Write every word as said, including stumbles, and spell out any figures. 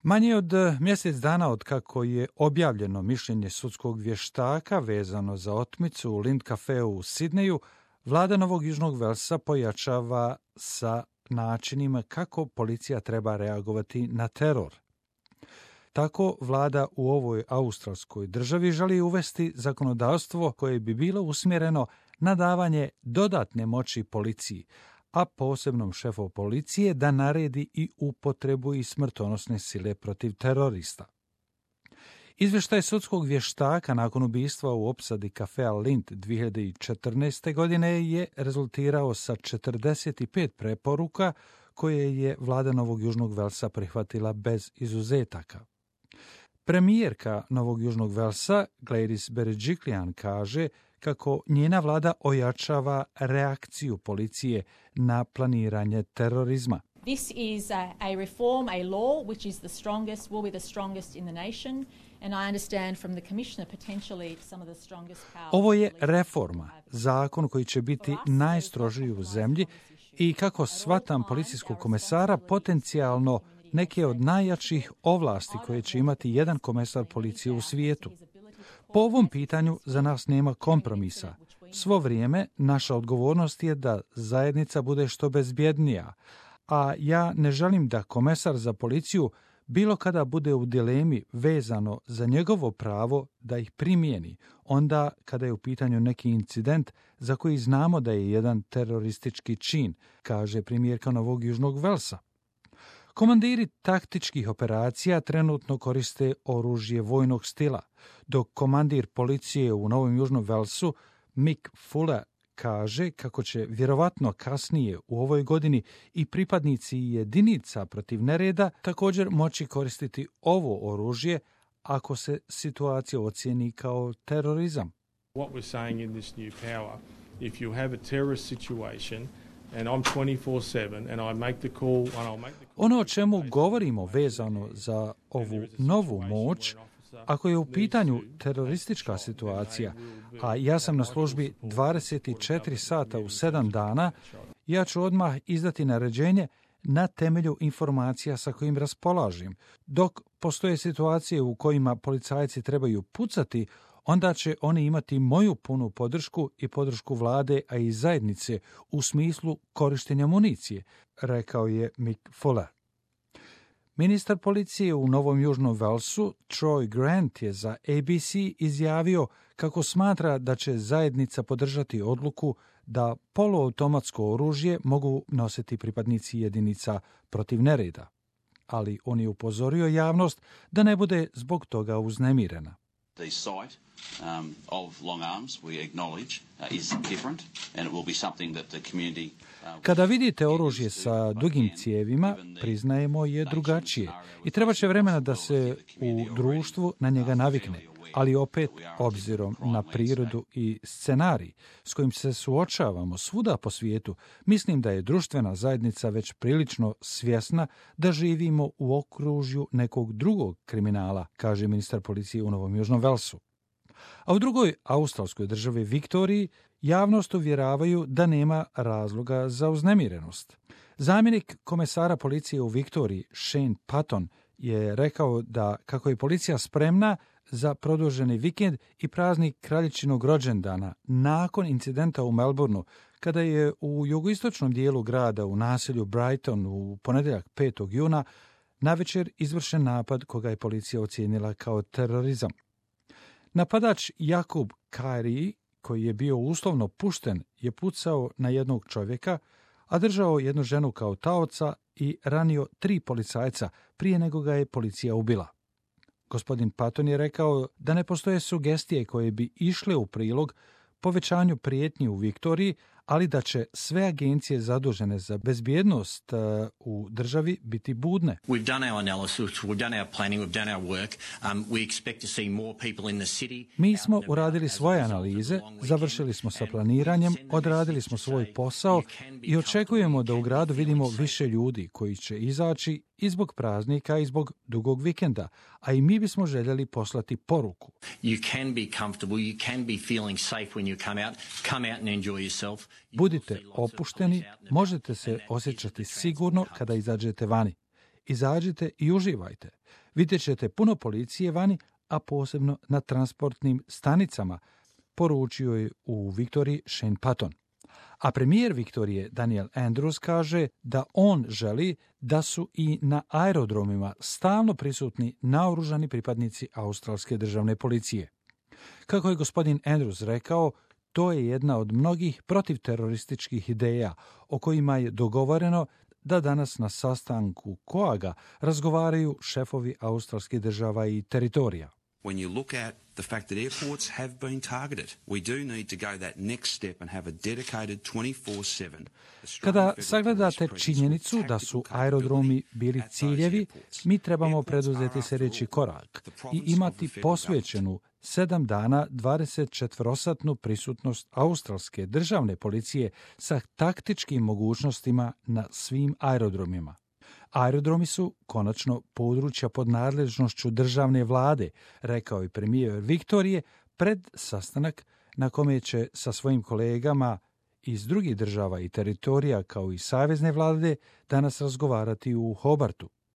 Manje od mjesec dana od kako je objavljeno mišljenje sudskog vještaka vezano za otmicu u Lind Cafeu u Sidneju, vlada Novog Južnog Velsa pojačava sa načinima kako policija treba reagovati na teror. Tako vlada u ovoj australskoj državi želi uvesti zakonodavstvo koje bi bilo usmjereno na davanje dodatne moći policiji, a posebnom šefu policije da naredi i upotrebu i smrtonosne sile protiv terorista. Izvještaj sudskog vještaka nakon ubistva u opsadi kafea Lind dvije hiljade četrnaeste. godine je rezultirao sa četrdeset pet preporuka koje je vlada Novog Južnog Velsa prihvatila bez izuzetaka. Premijerka Novog Južnog Velsa, Gladys Berejiklian, kaže kako njena vlada ojačava reakciju policije na planiranje terorizma. This is a, a reform, a law which is the strongest, will be the strongest in the nation, and I understand from the Commissioner potentially some of the strongest powers. Ovo je reforma, zakon koji će biti najstrožiji u zemlji i kako shvatam policijskog komesara potencijalno neke od najjačih ovlasti koje će imati jedan komesar policije u svijetu. Po ovom pitanju za nas nema kompromisa. Svo vrijeme naša odgovornost je da zajednica bude što bezbjednija, a ja ne želim da komesar za policiju bilo kada bude u dilemi vezano za njegovo pravo da ih primijeni, onda kada je u pitanju neki incident za koji znamo da je jedan teroristički čin, kaže premijerka Novog Južnog Velsa. Komandiri taktičkih operacija trenutno koriste oružje vojnog stila, dok komandir policije u Novom Južnom Velsu, Mick Fuller, kaže kako će vjerovatno kasnije u ovoj godini i pripadnici jedinica protiv nereda također moći koristiti ovo oružje ako se situacija ocijeni kao terorizam. What we're saying in this new power, if you have a terrorist situation and I'm twenty-four seven and I make the call and I'll make the call. Ono o čemu govorimo vezano za ovu novu moć, ako je u pitanju teroristička situacija, a ja sam na službi dvadeset četiri sata u sedam dana, ja ću odmah izdati naređenje na temelju informacija sa kojim raspolažem. Dok postoje situacije u kojima policajci trebaju pucati, onda će oni imati moju punu podršku i podršku vlade, a i zajednice u smislu korištenja municije, rekao je Mick Fuller. Ministar policije u Novom Južnom Velsu, Troy Grant, je za A B C izjavio kako smatra da će zajednica podržati odluku da poluautomatsko oružje mogu nositi pripadnici jedinica protiv nereda. Ali on je upozorio javnost da ne bude zbog toga uznemirena. The sight um, of long arms, we acknowledge, uh, is different and it will be something that the community. Uh, Kada vidite oružje sa dugim cijevima, priznajemo je drugačije i treba će vremena da se u društvu na njega navikne. Ali opet, obzirom na prirodu i scenarij s kojim se suočavamo svuda po svijetu, mislim da je društvena zajednica već prilično svjesna da živimo u okružju nekog drugog kriminala, kaže ministar policije u Novom Južnom Velsu. A u drugoj australskoj državi Viktoriji javnost uvjeravaju da nema razloga za uznemirenost. Zamjenik komesara policije u Viktoriji, Shane Patton, je rekao da kako je policija spremna za produženi vikend i praznik kraljičinog rođendana nakon incidenta u Melbourneu, kada je u jugoistočnom dijelu grada u naselju Brighton u ponedjeljak petog juna navečer izvršen napad koga je policija ocijenila kao terorizam. Napadač Jakub Kari, koji je bio uslovno pušten, je pucao na jednog čovjeka, a držao jednu ženu kao taoca i ranio tri policajca prije nego ga je policija ubila. Gospodin Patton je rekao da ne postoje sugestije koje bi išle u prilog povećanju prijetnji u Viktoriji, ali da će sve agencije zadužene za bezbjednost uh, u državi biti budne. We've done our analysis, we've done our planning, we've done our work. Um, we expect to see more people in the city. Mi smo uradili svoje analize, završili smo sa planiranjem, odradili smo svoj posao i očekujemo da u gradu vidimo više ljudi koji će izaći i zbog praznika i zbog dugog vikenda, a i mi bismo željeli poslati poruku. You can be comfortable, you can be feeling safe when you come out. Come out and enjoy yourself. Budite opušteni, možete se osjećati sigurno kada izađete vani. Izađite i uživajte. Vidjet ćete puno policije vani, a posebno na transportnim stanicama, poručio je u Viktoriji Shane Patton. A premijer Viktorije Daniel Andrews kaže da on želi da su i na aerodromima stalno prisutni naoružani pripadnici australske državne policije. Kako je gospodin Andrews rekao, to je jedna od mnogih protivterorističkih ideja o kojima je dogovoreno da danas na sastanku koaga razgovaraju šefovi australskih država i teritorija. When you look at the fact that airports have been targeted, we do need to go that next step and have a dedicated twenty-four seven. Kada sagledate činjenicu da su aerodromi bili ciljevi, mi trebamo preduzeti sljedeći korak i imati posvećenu sedam dana dvadesetčetvorosatnu prisutnost australske državne policije sa taktičkim mogućnostima na svim aerodromima. Aerodromi su konačno područja pod nadležnošću državne vlade, rekao je premijer Viktorije pred sastanak na kome će sa svojim kolegama iz drugih država i teritorija kao i savezne vlade danas razgovarati u Hobartu.